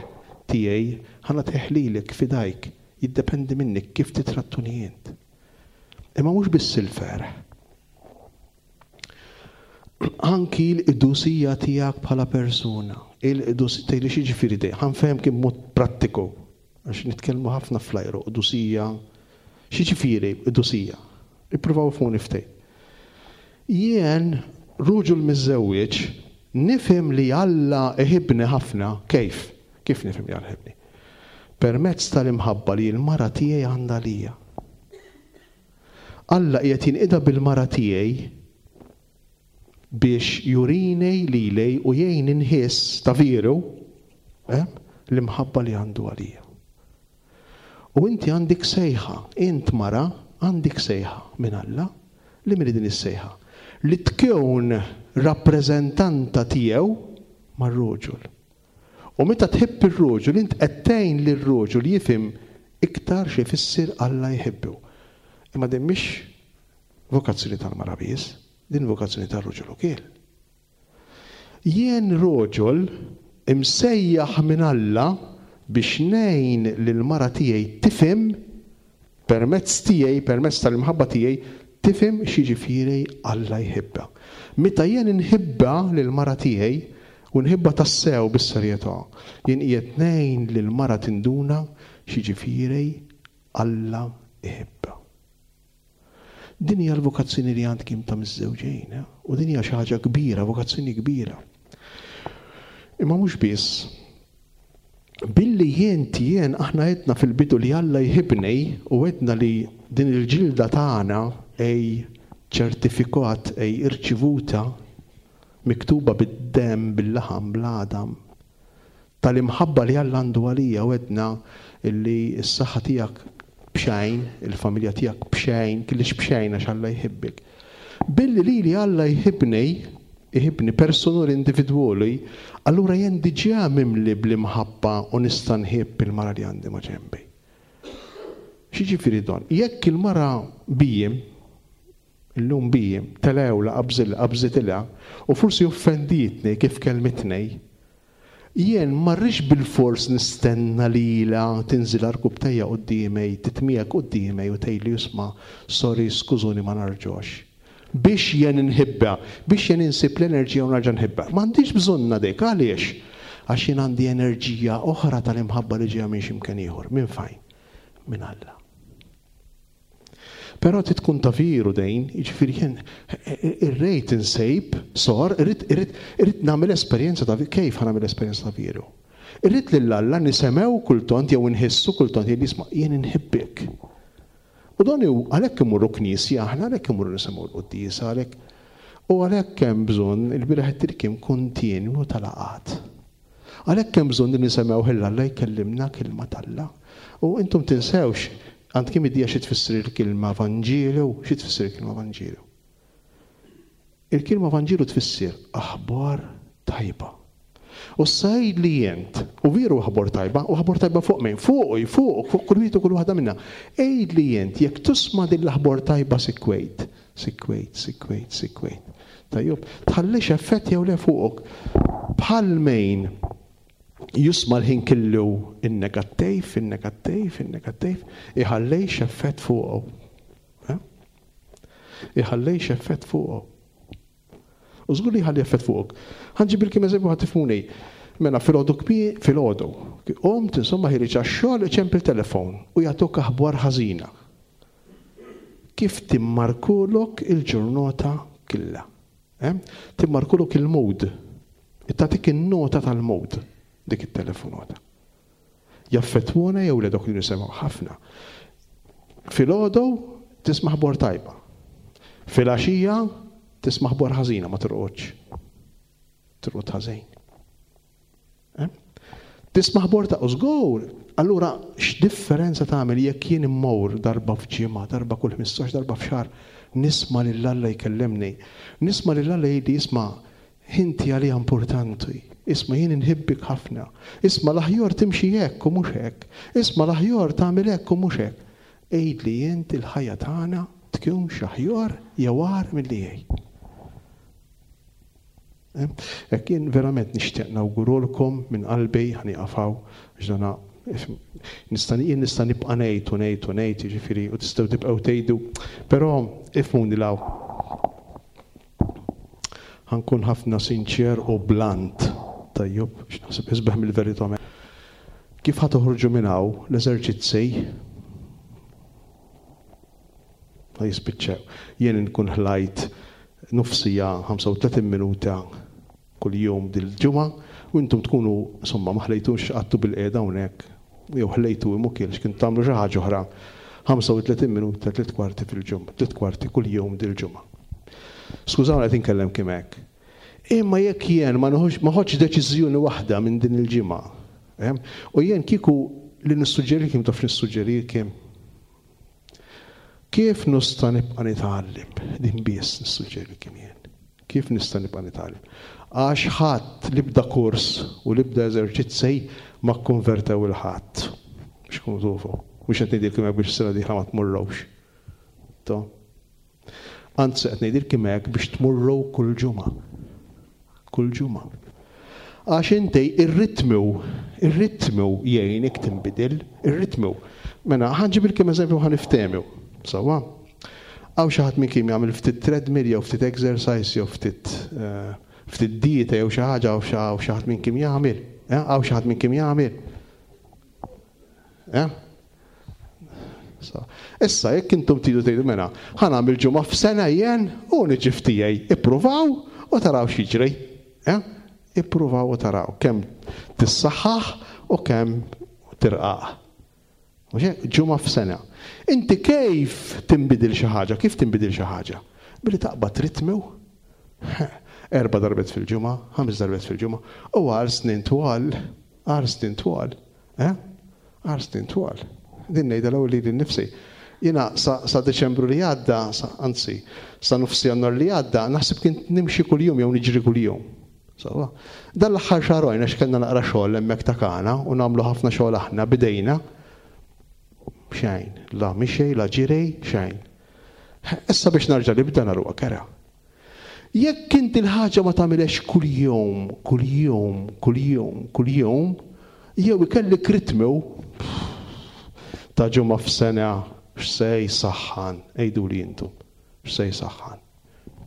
tiegħi ħa nagħtih lilek f'idejk, jiddependi minnik kif titrattuni int. Imma mhux biss il-ferħ. Anki l-qdusija tiegħek bħala persuna, il-qdusija tgħidli x'jiġifieri dej, ħa nfehmek b'mod prattiku, għax nitkellmu ħafna fl-ajru, qdusija, x'jiġifieri qdusija? Ippruvaw ifhmuni ftit. Jien ruġul miżżewweġ nifhem li Alla iħibni ħafna, kif? Kif nifhem li Alla iħibni? Permezz tal-imħabba li l-mara tiegħi għandha lija. Alla qiegħed jinqida bil-mara tiegħi biex jurini lili u jgħin inħiss ta' veru, eh, l-imħabba li għandu għalija. U inti għandek sejħa, int mara għandek sejħa minn Alla, li minn din is-sejħa? Li tkun rappreżentanta tiegħu mar-ruġul. U meta tħibb ir-ruġul, int qed tgħin lir-ruġul jifhem iktar xi jfisser Alla jħibbu. Imma din mhix vokazzjoni tal-mara biss, din vokazzjoni tar-ruġul ukoll. Jien ruġul imsejjaħ minn Alla biex ngħin lill-mara tiegħi tifhem permezz tiegħi, permezz tal-imħabba tiegħi, tifhem x'jiġifieri Alla jħibbha. Meta jien inħibba lill-mara tiegħi u nħibba tassew bis-serjetà, jien qiegħed ngħin lill-mara tinduna x'jiġifieri Alla jħibbha. Din hija l-vokazzjoni li għandkom ta' miżżewġejn, eh? U din hija xi ħaġa kbira, vokazzjoni kbira. Imma mhux biss, billi jien jien aħna għedna fil-bidu li Alla jħibni u għedna li din il-ġilda tagħna ej ċertifikat, ej irċivuta miktuba bid-demm, bil-laħam, bl-għadam, tal-imħabba li Alla għandu għalija, u għedna li s-saħħa tiegħek b'xejn, il-familja tiegħek b'xejn, kellix b'xejn għax Alla jħibbek. Billi li li Alla jħibni, jħibni personali individwali, allura jien diġà mimli bl-imħabba u nista' nħibb il-mara li għandi ma' ġenbi. X'jiġifieri don? Jekk il-mara bijjem, illum bijjem, telewla qabżil qabżitilha u forsi offendietni kif kelmitni, jien ma rridx bil-fors nistenna lila tinżil rkubtejja quddiemi, titmiegħek quddiemi u tgħidli isma' sorry, skużuni ma narġox. Biex jien inħibba, biex jien insib l-enerġija u narġa' nħibba. M'għandix bżonna dik, għaliex? Għax jien għandi enerġija oħra tal-imħabba li ġejja minn x'imkien ieħor. Minn fejn? Minn Alla. Però trid tkun ta' veru dejn, jiġifieri jien irrid insejb, sor, irrid, irrid, irrid nagħmel esperjenza ta' kif ħa nagħmel esperjenza ta' veru. Irrid lil Alla nisemgħu kultant jew inħissu kultant jgħid isma' jien inħibbek. U dan hu għalhekk imorru knisja aħna, għalhekk imorru nisimgħu l-quddiesa, għalhekk. U għalhekk hemm bżonn il-bieraħ it-tirkim kontinwu tal-laqgħat. Għalhekk hemm bżonn li nisemgħu lil Alla jkellimna kelma t'Alla. U intom tinsewx, għandkom idea xi tfisser il-kelma Vanġelu, xi tfisser il-kelma Vanġelu? Il-kelma Vanġelu tfisser aħbar tajba. U sajd li jent, u veru aħbar tajba, u aħbar tajba fuq min? Fuq, fuq, fuq kull wieħed u kull waħda minna. Għid li jent, jekk tisma' din l-aħbar tajba sikwejt, sikwejt, sikwejt, sikwejt. Tajjeb, tħallix effett jew le fuqok. Bħal mejn jisma' l-ħin kellu in-negattiv, in-negattiv, in-negattiv, iħallejx effett fuqu. Eh? Iħallejx effett fuqu. U żgur li jħalli effett fuqok. Ħa nġibilkom eżempju ħa tifhmuni. Mela filgħodu kbir, filgħodu. Qomt insomma ħiereġ għax-xogħol iċempel telefon u jagħtuk aħbar ħażina. Kif timmarkulok il-ġurnata kollha. Eh? Timmarkulok il-mood. Tagħtik in-nota tal-mood dik it-telefonata. Jaffettwona jew le dok li nisimgħu ħafna. Filgħodu tisma' ħbor tajba. Filgħaxija tisma' ħbor ħażina, ma torqodx. Torqod ħażin. Eh? Tisma' ħbor ta' żgur. Allura x'differenza tagħmel jekk jien immur darba f'ġimgħa, darba kull ħmistax, darba f'xahar, nisma' lil Alla jkellimni. Nisma' lil Alla jgħidli isma' inti għalija importanti. Isma' jien inħibbik ħafna. Isma' l-aħjar timxi hekk u mhux hekk. Isma' l-aħjar tagħmel hekk u mhux hekk. Għidli int il-ħajja tagħna tkunx aħjar jew agħar milli hi. Hekk jien verament nixtieq nawgurulkom minn qalbi, ħa nieqaf hawn, għax dana nista' jien nista' nibqa' ngħid u ngħid u ngħid, jiġifieri u tistgħu tibqgħu tgħidu, però ifhmuni law. Ħa nkun ħafna sinċer u blunt, tajjeb, x'naħseb isbaħ mill-verità. Kif ħa toħorġu minn hawn l-eżerċizzi ma jispiċċew. Jien nkun ħlajt nofsija ħamsa u tletin minuta kull jum dil-ġimgħa u intom tkunu insomma ma ħlejtux qattu bil-qiegħda hawnhekk jew ħlejtu imukil x'kien tagħmlu xi ħaġa oħra ħamsa u tletin minuta tliet kwarti fil-ġimgħa, tliet kwarti kull jum dil-ġimgħa. Skużawni qed inkellem kemm hekk. Imma jekk jien ma noħodx, ma ħodx deċiżjoni waħda minn din il-ġimgħa, eh? U jien kieku li nissuġġerikom, taf nissuġġerikom kif nista' nibqa' nitgħallem, din biss nissuġġerikom jien. Kif nista' nibqa' nitgħallem? Għax ħadd li bda kors u li bda eżerċizzi ma kkonvertew il-ħadd. Biex kunu tufu. Mhux qed ngħidilkom hekk biex sena dieħla ma tmurrux. To. Anzi qed ngħidilkom hekk biex tmurru kull ġimgħa. Kull ġimgħa. Għax inti ir-ritmu, ir-ritmu jgħinek tinbidel, ir-ritmu. Mela ħa nġibilkom eżempju ħa niftehmu. Sewwa. Hawn xi ħadd minn kien jagħmel ftit treadmill jew ftit exercise jew ftit, eh, ftit dieta jew xi ħaġa, hawn xi, hawn xi ħadd minn kien jagħmel. Eh, hawn xi ħadd minn kien jagħmel. Eh? So, issa jekk intom tridu tgħidu mela, ħa nagħmel ġimgħa f'sena jien u niġi f'tiegħi. Ippruvaw u taraw x'jiġri. Eh? Ippruvaw u taraw kemm tissaħħaħ u kemm tirqaq. Mhux hekk? Ġimgħa f'sena. Inti kif tinbidil xi ħaġa? Kif tinbidil xi ħaġa? Billi taqbad ritmu. Erba' darbiet fil-ġimgħa, ħames darbiet fil-ġimgħa, u għal snin twal, għal snin twal, eh? Għal snin twal. Din ngħidha l-ewwel lili nnifsi. Jiena sa, sa Deċembru li għadda, sa, anzi, sa nofs Jannar li għadda, naħseb kien nimxi kuljum jew niġri kuljum. Sewwa. Dan l-aħħar xahrejn għax kellna naqra xogħol hemmhekk ta' Kana u nagħmlu ħafna xogħol aħna bidejna. Xejn, la mixej, la ġirej, xejn. Issa biex narġa' nibda naruha kera. Jekk inti l-ħaġa ma tagħmilx kuljum, kuljum, kuljum, kuljum, jew ikellik ritmu ta' ġimgħa f'sena x'se jsaħħan, għiduli intom, x'se jsaħħan?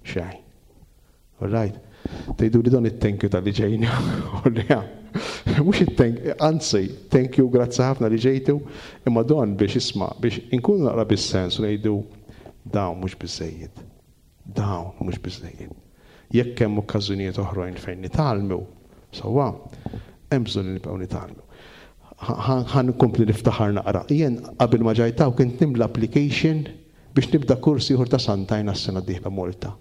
Xejn. All right. Tgħidu li dan it-thank you tal-li ġejna. Mhux it-thank, anzi, thank you, grazzi ħafna li ġejtu, imma don biex isma', biex inkunu naqra bis-sens u ngħidu dawn mhux biżejjed. Dawn mhux biżejjed. Jekk hemm okkażjonijiet oħrajn fejn nitgħallmu, sewwa, hemm bżonn li nibqgħu nitgħallmu. Ħa nkompli niftaħar naqra. Jien qabel ma ġajtaw kont nimla application biex nibda kors ieħor ta' sentejn għas-sena d-dieħla Malta.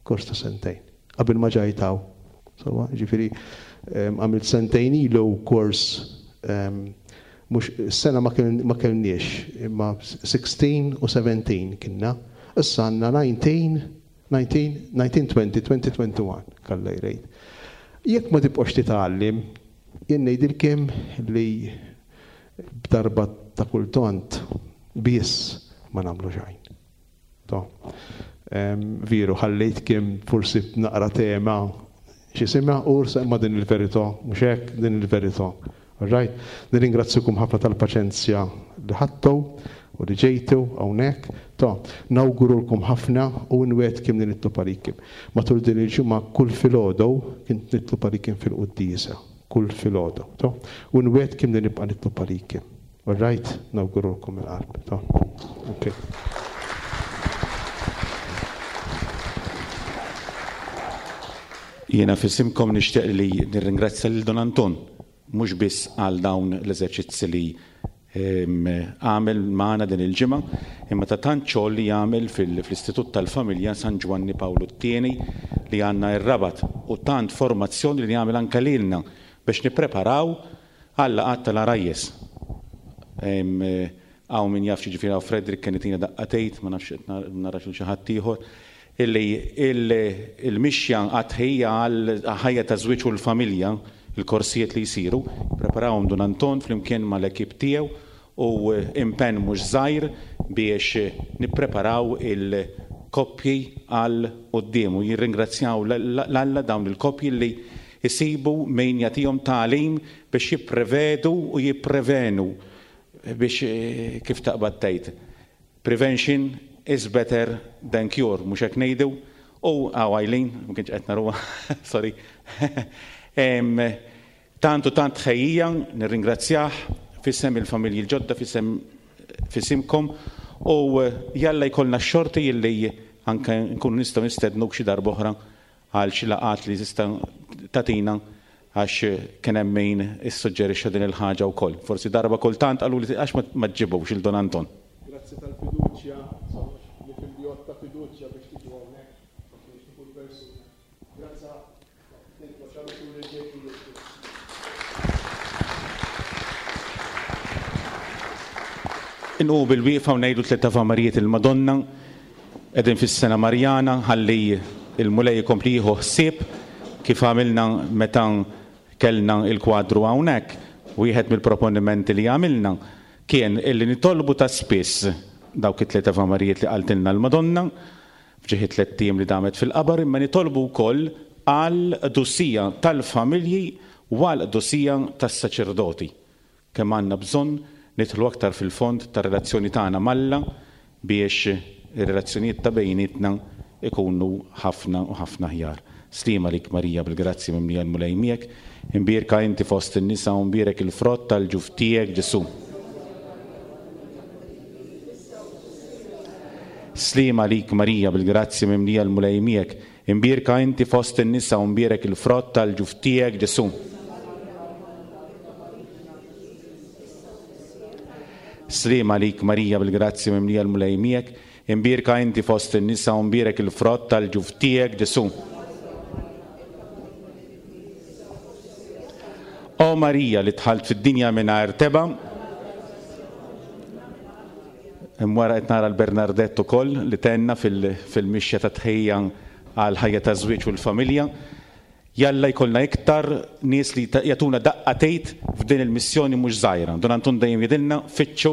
Kors ta' sentejn. Qabel ma ġajtaw. Sewwa, ġifieri, em, għamilt sentejn ilu kors, em, mhux sena ma kell-, ma kellniex, imma sixteen u seventeen kienna. Issa għandna nineteen, nineteen, nineteen, twenty, twenty, twenty-one, kalla jrejt. Jekk ma tibqgħux titgħallem, jien ngħidilkom li b'darba ta' kultant biss ma nagħmlu xejn. To. Em, veru, ħallejt kim forsi naqra tema x'jisimha, u imma din il-verità, mhux hekk, din il-verità. All right? Nirringrazzjukom ħafna tal-paċenzja li ħadtu u li ġejtu hawnhekk. To, nawgurulkom ħafna u nwegħedkom li nitlob għalikom. Matul din il-ġimgħa kull filgħodu kint nitlob għalikom fil-quddiesa, kull filgħodu. To, u nwegħedkom li nibqa' nitlob għalikom. All right? Nawgurulkom il-qalb. To, okay. Jiena f'isimkom nixtieq li nirringrazzja lil Don Anton, mhux biss għal dawn l-eżerċizzi li għamel magħna din il-ġimgħa, imma ta' tant xogħol li jagħmel fl-Istitut tal-Familja San Ġwanni Pawlu t-Tieni li għandna r-Rabat, u tant formazzjoni li jagħmel anke lilna biex nippreparaw għal-laqgħat tal-għarajjes. Hawn min jaf ġifieri hawn Frederick kien itina daqqatejt, ma nafx qed nara xi ħadd ieħor, illi il-mixja għat-tħejja għal ħajja ta' żwieġ u l-familja, il-korsijiet li jsiru, preparawhom Dun Anton flimkien mal-ekip tiegħu u impenn mhux żgħir biex nippreparaw il-koppji għal quddiem, u jirringrazzjaw l-Alla dawn il-koppji li jsibu min jagħtihom tagħlim biex jipprevedu u jipprevenu biex, kif taqbad tgħid, prevention is better than cure, mhux hekk ngħidu. U għaw Eileen, ma kienx qed naruha, sorry. Tant u tant ħejjija, nirringrazzjah f'isem il-familji l-ġodda, f'isem f'isimkom, u jalla jkollna x-xorti illi anke nkunu nistgħu nistednuk xi darba oħra għal xi laqgħat li tista' tagħtina, għax kien hemm min issuġġerixxa din il-ħaġa wkoll. Forsi darba kultant qalu li għax ma ġġibux il Don Anton. Grazzi tal-fiduċja, nifhem li ta' fiduċja biex tiġu hawnhekk, ma kienx kull persuna. Grazzi. Inqu bil-wieqfa u ngħidu tliet Ave Marijiet il-Madonna, qegħdin fis-sena Marjana, ħalli il-Mulej ikompli jieħu ħsieb kif għamilna meta kellna il-kwadru hawnhekk. Wieħed mill-proponimenti li għamilna kien illi nitolbu ta' spiss dawk it-tliet Ave Marijiet li qaltilna l-Madonna f'ġieħi tliet ijiem li damet fil-qabar, imma nitolbu wkoll għal qdusija tal-familji u għal qdusija tas-saċerdoti. Kemm għandna bżonn nidħlu aktar fil-fond tar-relazzjoni tagħna m'Alla biex ir-relazzjonijiet ta' bejnietna ikunu ħafna u ħafna aħjar. Slima lik Marija bil-grazzja mimlija l-Mulej miegħek, imbierka inti fost in-nisa u mbierek il-frott tal-ġuf tiegħek Ġesù. Slima lik Marija bil-grazzja mimlija l-Mulej miegħek, imbierka inti fost in-nisa u mbierek il-frott tal-ġuf tiegħek Ġesù. Slima lik Marija bil-grazzja mimlija l-Mulej miegħek, imbierka inti fost in-nisa u mbierek il-frott tal-ġuf tiegħek Ġesù. O Marija li dħalt fid-dinja mingħajr tebgħa, hemm wara qed nara l-Bernardett ukoll li tenna fil-mixja ta' tħejja għal ħajja ta' żwieġ u l-familja. Jalla jkollna iktar nies li jagħtuna daqqa tgħid f'din il-missjoni mhux żgħira. Dun Anton dejjem jgħidilna fittxu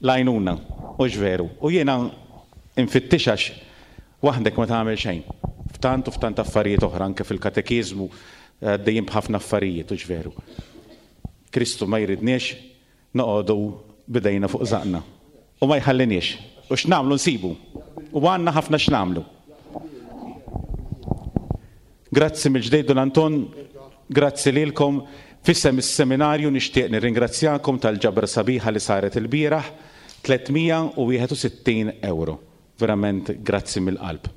l-għajnuna, hux veru. U jiena nfittix għax waħdek ma tagħmel xejn. F'tant u f'tant affarijiet oħra, anke fil-katekiżmu għaddejjin b'ħafna affarijiet, hux veru. Kristu ma jridniex noqogħdu bidejna fuq żaqna. U ma jħalliniex. U x'nagħmlu nsibu. U għandna ħafna x'nagħmlu. Grazzi mill-ġdejt Dun Anton, grazzi lilkom. F'isem is-seminarju nixtieq nirringrazzjakom tal-ġabra sabiħa li saret il-bieraħ, tliet mija u wieħed u sittin euro. Verament grazzi mill-qalb.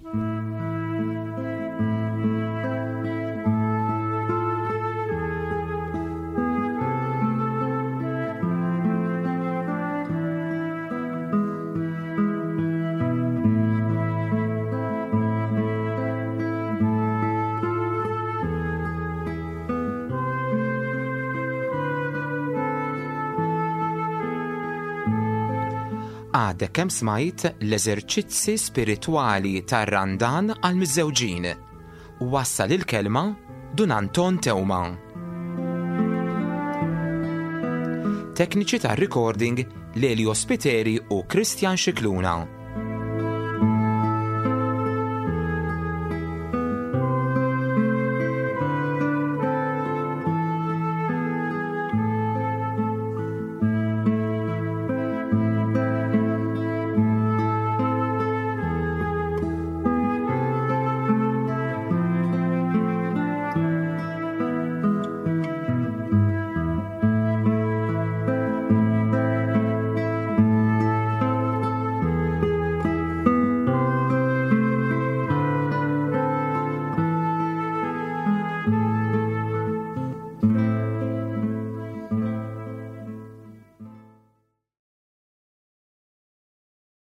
Għadek kemm smajt l-eżerċizzi spiritwali tar-Randan għal miżżewġin. Wassal il-kelma Dun Anton Teuma. Tekniċi tar-recording Lelio Spiteri u Christian Scicluna.